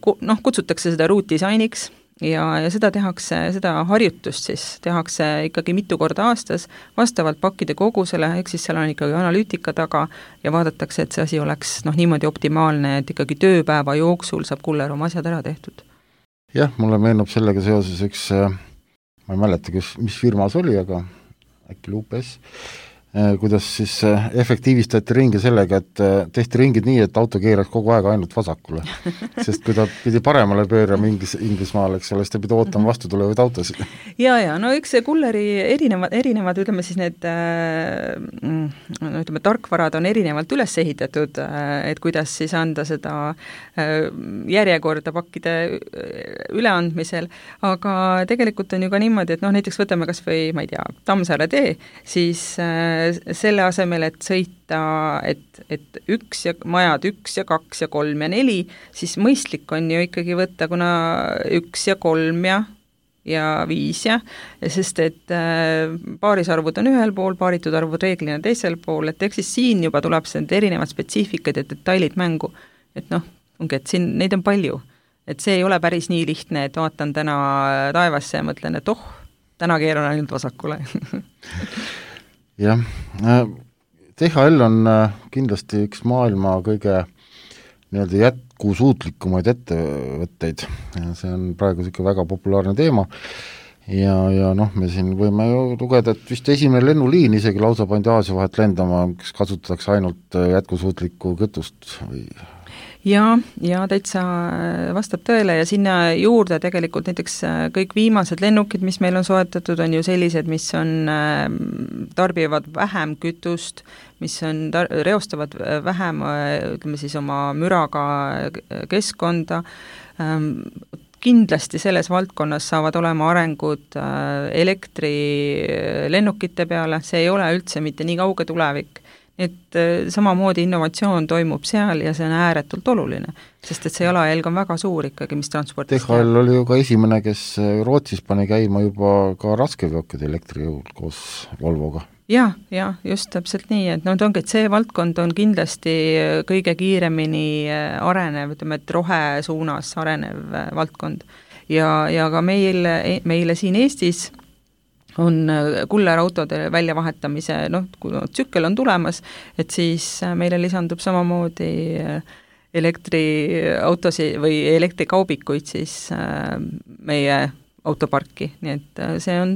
kutsutakse seda ruutdisainiks ja seda tehakse, seda harjutust siis tehakse ikkagi mitu korda aastas vastavalt pakkide kogusele, ehk siis seal on ikkagi analüütika taga ja vaadatakse, et see asi oleks niimoodi optimaalne, et ikkagi tööpäeva jooksul saab kuller oma asjad ära tehtud. Jah, mulle meenub sellega seoses üks, ma ei mäleta, mis firmas oli, aga äkki Lupes, kuidas siis efektiivistati ringi sellega, et tehti ringid nii, et auto keeraks kogu aeg ainult vasakule. Sest kui ta pidi paremale pöörama Inglismaal, eks ole, siis ta pidi ootama vastu tulevaid autosid. Ja, eks see kulleri erinevad, ütleme siis need tarkvarad on erinevalt üles ehitatud, et kuidas siis anda seda järjekorda pakkide üleandmisel, aga tegelikult on ju ka niimoodi, et näiteks võtame kas või, ma ei tea, Tammsaare tee, siis selle asemel, et sõita, et majad 1 ja 2 ja 3 ja 4, siis mõistlik on ju ikkagi võtta, kuna 1 ja 3 ja 5 sest et paarisarvud on ühel pool, paaritud arvud reeglina teisel pool, et eks siis siin juba tuleb see erinevad spetsiifikad ja detailid mängu, et ongi, et siin neid on palju, et see ei ole päris nii lihtne, et vaatan täna taevasse ja mõtlen, et täna keeran ainult vasakule. Jah, THL on kindlasti üks maailma kõige jätkusuutlikumaid ettevõtteid ja see on praegu ikka väga populaarne teema ja me siin võime ju lugeda, et vist esimene lennuliin isegi lausa pandi Aasia vahet lendama, kes kasutatakse ainult jätkusuutlikku kütust või... Ja täitsa vastab tõele ja sinna juurde tegelikult näiteks kõik viimased lennukid, mis meil on soetatud, on ju sellised, mis on, tarbivad vähem kütust, mis on, reostavad vähem, ütleme siis oma müraga keskkonda, kindlasti selles valdkonnas saavad olema arengud elektrilennukite peale, see ei ole üldse mitte nii kauge tulevik. Et samamoodi innovatsioon toimub seal ja see on ääretult oluline, sest et see jalajälg on väga suur ikkagi, mis transportis THL oli ju ka esimene, kes Rootsis pani käima juba ka raskeveokid elektrijõul koos Volvoga. Ja, just täpselt nii, et ongi, et see valdkond on kindlasti kõige kiiremini arenev, ütleme, et rohesuunas arenev valdkond ja ka meile siin Eestis on kullerautode väljavahetamise, kui tsükkel on tulemas, et siis meile lisandub samamoodi elektriautosi või elektrikaubikuid siis meie autoparki, nii et see on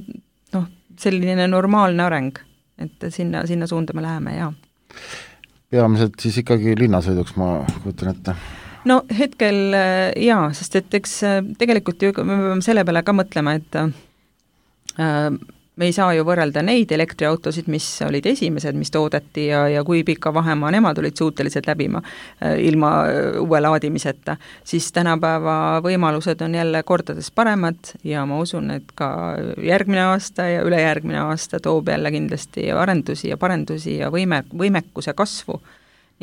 selline normaalne areng, et sinna suunda me läheme, jaa. Peamiselt siis ikkagi linnasõiduks, ma kujutan ette. No hetkel jaa, sest et eks tegelikult ju me peame selle peale ka mõtlema, et me ei saa ju võrrelda neid elektriautosid, mis olid esimesed, mis toodeti ja kui pika vahemaa nemad olid suutelised läbima ilma uue laadimiseta, siis tänapäeva võimalused on jälle kordades paremad ja ma usun, et ka järgmine aasta ja ülejärgmine aasta toob jälle kindlasti arendusi ja parendusi ja võimekuse kasvu.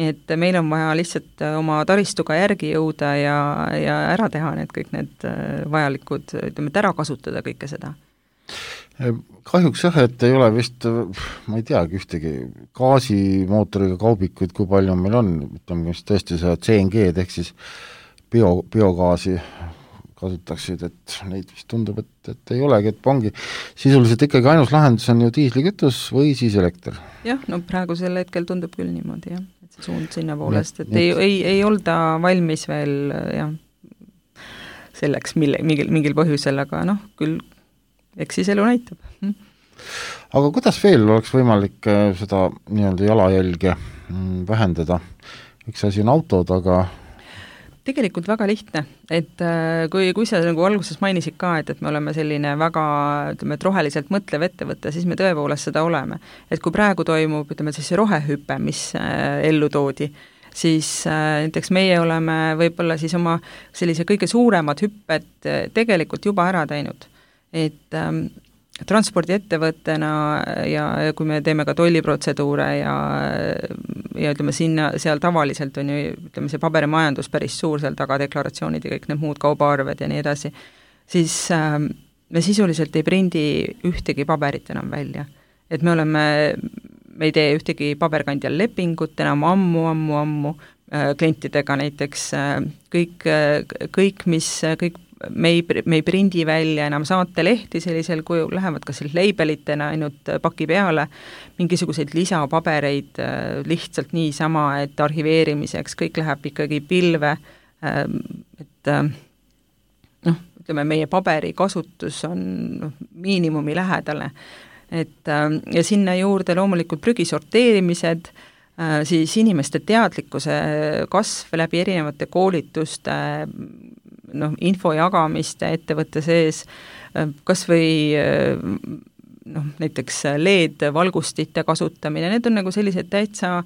Nii et meil on vaja lihtsalt oma taristuga järgi jõuda ja ära teha kõik need vajalikud, ütleme, et ära kasutada kõike seda. Kahjuks jah, et ei ole vist, ma ei teagi ühtegi gaasimootoriga kaubikuid, kui palju meil on, ütleme, mis tõesti see CNG-d ehk siis biogaasi kasutaksid, et neid vist tundub, et ei olegi, et ongi sisuliselt ikkagi ainus lahendus on ju diislikütus või siis elekter. Jah, praegusel hetkel tundub küll niimoodi, jah, et see suund sinna poolest, et ei olda valmis veel jah, selleks mingil põhjusel, aga küll eks siis elu näitab. Aga kuidas veel oleks võimalik seda nii-öelda jalajälge vähendada? Üks asi on autod, aga Tegelikult väga lihtne, et kui sa nagu alguses mainisid ka, et me oleme selline väga, ütleme, et roheliselt mõtlev ettevõte, siis me tõepoolest seda oleme. Et kui praegu toimub, ütleme, siis see rohehüpe, mis ellu toodi, siis näiteks meie oleme võib-olla siis oma sellise kõige suuremad hüpped tegelikult juba ära teinud. Et transpordiettevõttena ja kui me teeme ka tolliprotseduure ja ütleme seal tavaliselt on ju, ütleme see paberimajandus päris suur seal taga, deklaratsioonid ja kõik need muud kaubaarved ja nii edasi, siis me sisuliselt ei prindi ühtegi paberit enam välja. Et me ei tee ühtegi paberkandjal lepingut enam ammu klientidega näiteks, kõik me ei prindi välja enam saatelehti sellisel kujul, lähevad kas labelitena ainult paki peale, mingisuguseid lisapabereid lihtsalt niisama, et arhiveerimiseks, kõik läheb ikkagi pilve, et ütleme, meie paberi kasutus on miinimumi lähedale. Ja sinna juurde loomulikult prügi sorteerimised, siis inimeste teadlikkuse kasv läbi erinevate koolituste, info jagamiste ettevõtte sees, kas või näiteks LED-valgustite kasutamine, need on nagu sellised täitsa,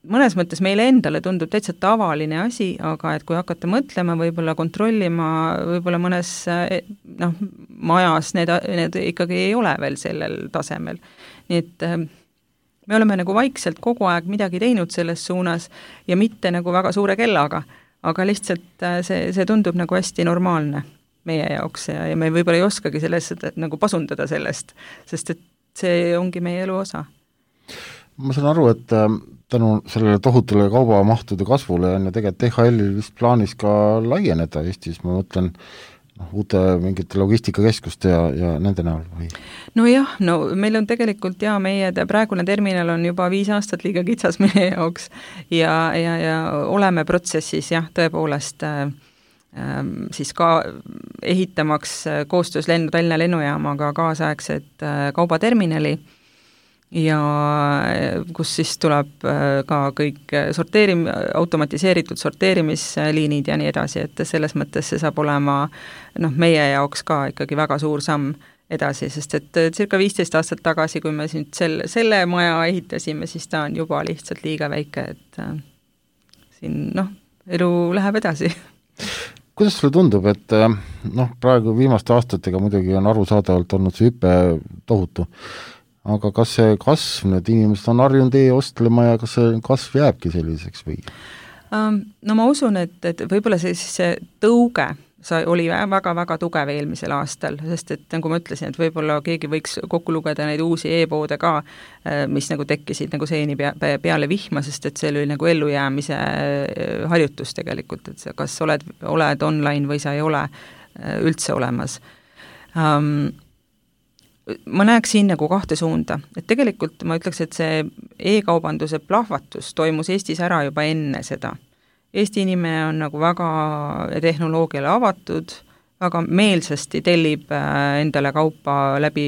mõnes mõttes meile endale tundub täitsa tavaline asi, aga et kui hakata mõtlema, võib-olla kontrollima, võib-olla mõnes majas need ikkagi ei ole veel sellel tasemel. Nii et me oleme nagu vaikselt kogu aeg midagi teinud selles suunas ja mitte nagu väga suure kellaga, aga lihtsalt see tundub nagu hästi normaalne meie jaoks ja me võib-olla ei oskagi sellest nagu pasundada sellest, sest et see ongi meie elu osa. Ma saan aru, et tänu sellele tohutule kaubamahtude kasvule on ja tegelikult DHL-il vist plaanis ka laieneda Eestis, ma mõtlen uute mingite logistikakeskuste ja nende näol või? Nojah, meil on tegelikult meie praegune terminal on juba 5 aastat liiga kitsas meie jaoks ja oleme protsessis tõepoolest siis ka ehitamaks koostöös Tallinna lennujaamaga kaasaegset kaubaterminali ja kus siis tuleb ka kõik automatiseeritud sorteerimisliinid ja nii edasi, et selles mõttes see saab olema meie jaoks ka ikkagi väga suur samm edasi, sest et circa 15 aastat tagasi, kui me siin selle maja ehitasime, siis ta on juba lihtsalt liiga väike, et siin elu läheb edasi. Kuidas sulle tundub, et praegu viimaste aastatega muidugi on arusaadavalt olnud see hüpe tohutu, aga kas see kasv, need inimesed on harjunud ostlema ja kas see kasv jääbki selliseks või? Ma usun, et võib-olla see tõuge oli väga-väga tugev eelmisel aastal, sest et nagu ma ütlesin, et võib-olla keegi võiks kokku lugeda neid uusi e-poode ka, mis nagu tekkisid nagu seeni peale vihma, sest et see oli nagu ellujäämise harjutus tegelikult, et kas oled online või sa ei ole üldse olemas. Ma näeks siin nagu 2 suunda, et tegelikult ma ütleks, et see e-kaubanduse plahvatus toimus Eestis ära juba enne seda. Eesti inimene on nagu väga tehnoloogiale avatud, väga meelsasti tellib endale kaupa läbi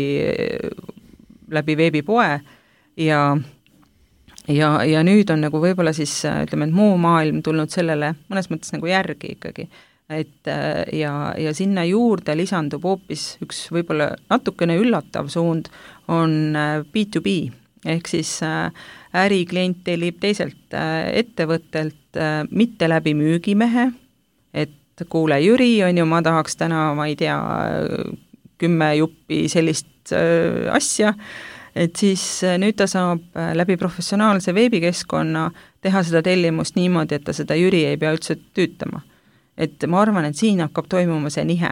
veebipoe ja nüüd on nagu võib-olla siis ütleme, et muu maailm tulnud sellele mõnes mõttes nagu järgi ikkagi. Ja sinna juurde lisandub hoopis üks võib-olla natukene üllatav suund on B2B, ehk siis äriklient tellib teiselt ettevõttelt mitte läbi müügimehe, et kuule Jüri, ma tahaks täna, ma ei tea, 10 juppi sellist asja, et siis nüüd ta saab läbi professionaalse veebikeskkonna teha seda tellimust niimoodi, et ta seda Jüri ei pea üldse tüütama. Et ma arvan, et siin hakkab toimuma see nihe,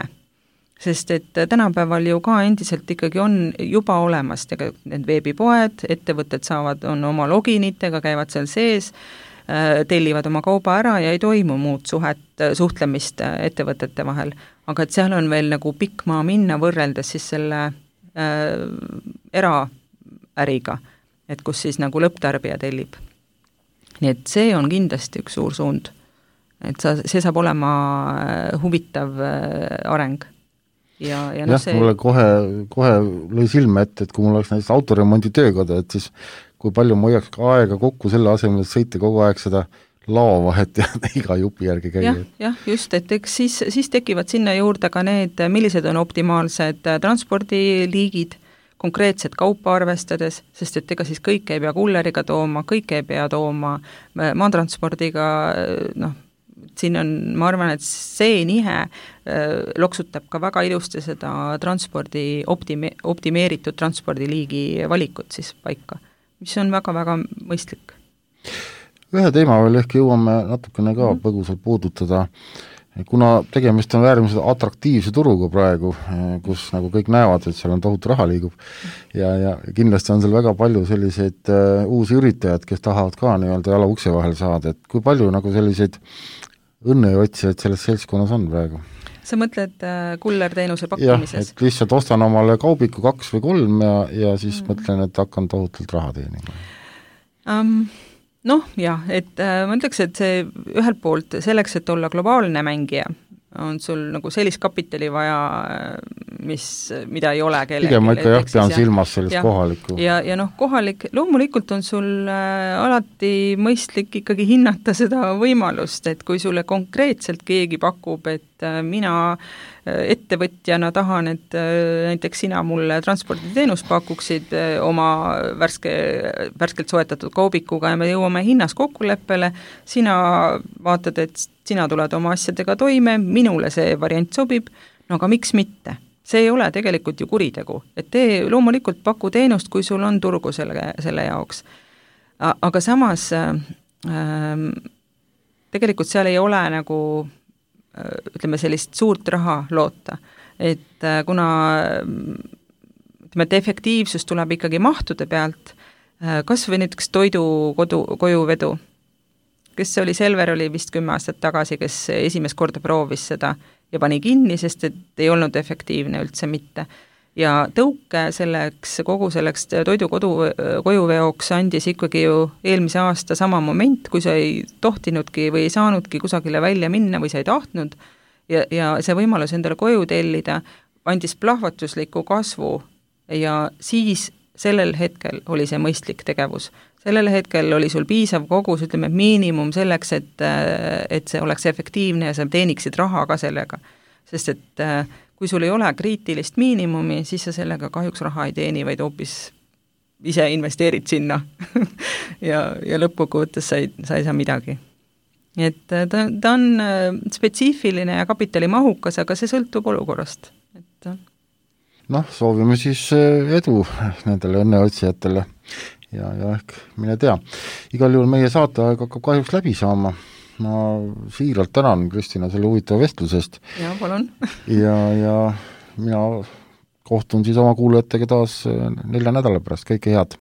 sest et tänapäeval ju ka endiselt ikkagi on juba olemas need veebipoed, ettevõtted on oma loginitega, käivad seal sees, tellivad oma kauba ära ja ei toimu muud suhtlemist ettevõtete vahel, aga et seal on veel nagu pikk maa minna võrreldes siis selle eraäriga, et kus siis nagu lõpptarbija tellib. Nii et see on kindlasti üks suur suund. Et see saab olema huvitav areng. Mulle kohe lõi silme ette, et kui mul oleks näiteks autoremondi töökoda, et siis kui palju ma hoiaks ka aega kokku selle asemel, et sõita kogu aeg seda laovahet ja iga jupi järgi käia. jah, just, et eks siis tekivad sinna juurde ka need, millised on optimaalsed transpordiliigid, konkreetset kaupa arvestades, sest et ega siis kõike ei pea kulleriga tooma, kõike ei pea tooma maatranspordiga, siin on, ma arvan, et see nihe loksutab ka väga ilusti seda transpordi optimeeritud transpordiliigi valikut siis paika, mis on väga-väga mõistlik. Ühe teema veel ehk jõuame natukene ka põgusalt puudutada, kuna tegemist on äärmiselt atraktiivse turuga praegu, kus nagu kõik näevad, et seal on tohutu raha liigub ja kindlasti on seal väga palju selliseid uusi üritajaid, kes tahavad ka nii-öelda jala ukse vahel saada, et kui palju nagu selliseid õnneotsijaid selles seltskonnas on praegu? Sa mõtled kullerteenuse pakkumises? Jah, et lihtsalt ostan omale kaubiku 2 või 3 ja siis mõtlen, et hakkan tohutult raha teenima. Jah, et ma ütleks, et see ühelt poolt selleks, et olla globaalne mängija, on sul nagu sellist kapitali vaja, mida ei ole kellelgi. Pigem ma ikka pean silmas sellist kohalikku. Ja kohalik, loomulikult on sul alati mõistlik ikkagi hinnata seda võimalust, et kui sulle konkreetselt keegi pakub, et mina ettevõtjana tahan, et näiteks sina mulle transporditeenust pakuksid oma värskelt soetatud kaubikuga ja me jõuame hinnas kokkuleppele, sina vaatad, et sina tuled oma asjadega toime, minule see variant sobib, aga miks mitte? See ei ole tegelikult ju kuritegu, et loomulikult paku teenust, kui sul on turgu selle jaoks. Aga samas tegelikult seal ei ole nagu ütleme sellist suurt raha loota, et kuna et efektiivsus tuleb ikkagi mahtude pealt, kas või näiteks toidu kojuvedu, kes oli Selver, oli vist 10 aastat tagasi, kes esimest korda proovis seda ja pani kinni, sest et ei olnud efektiivne üldse mitte. Ja tõuke kogu selleks toidu kojuveoks andis ikkagi ju eelmise aasta sama moment, kui sa ei tohtinudki või ei saanudki kusagile välja minna või sa ei tahtnud ja see võimalus endale koju tellida andis plahvatusliku kasvu ja siis sellel hetkel oli see mõistlik tegevus. Sellel hetkel oli sul piisav kogus, ütleme miinimum selleks, et see oleks efektiivne ja sa teeniksid raha ka sellega. Sest et kui sul ei ole kriitilist miinimumi, siis sa sellega kahjuks raha ei teeni, vaid hoopis ise investeerid sinna ja lõppkokkuvõttes sa ei saa midagi. Et ta on spetsiifiline ja kapitalimahukas, aga see sõltub olukorrast. Soovime siis edu nendele õnneotsijatele ja ehk mine tea. Igal juhul meie saateaeg hakkab kahjuks läbi saama. Ma siiralt tänan, Kristina, selle huvitava vestlusest. Ja, palun. ja mina kohtun siis oma kuulajatega taas 4 nädala pärast. Kõike head!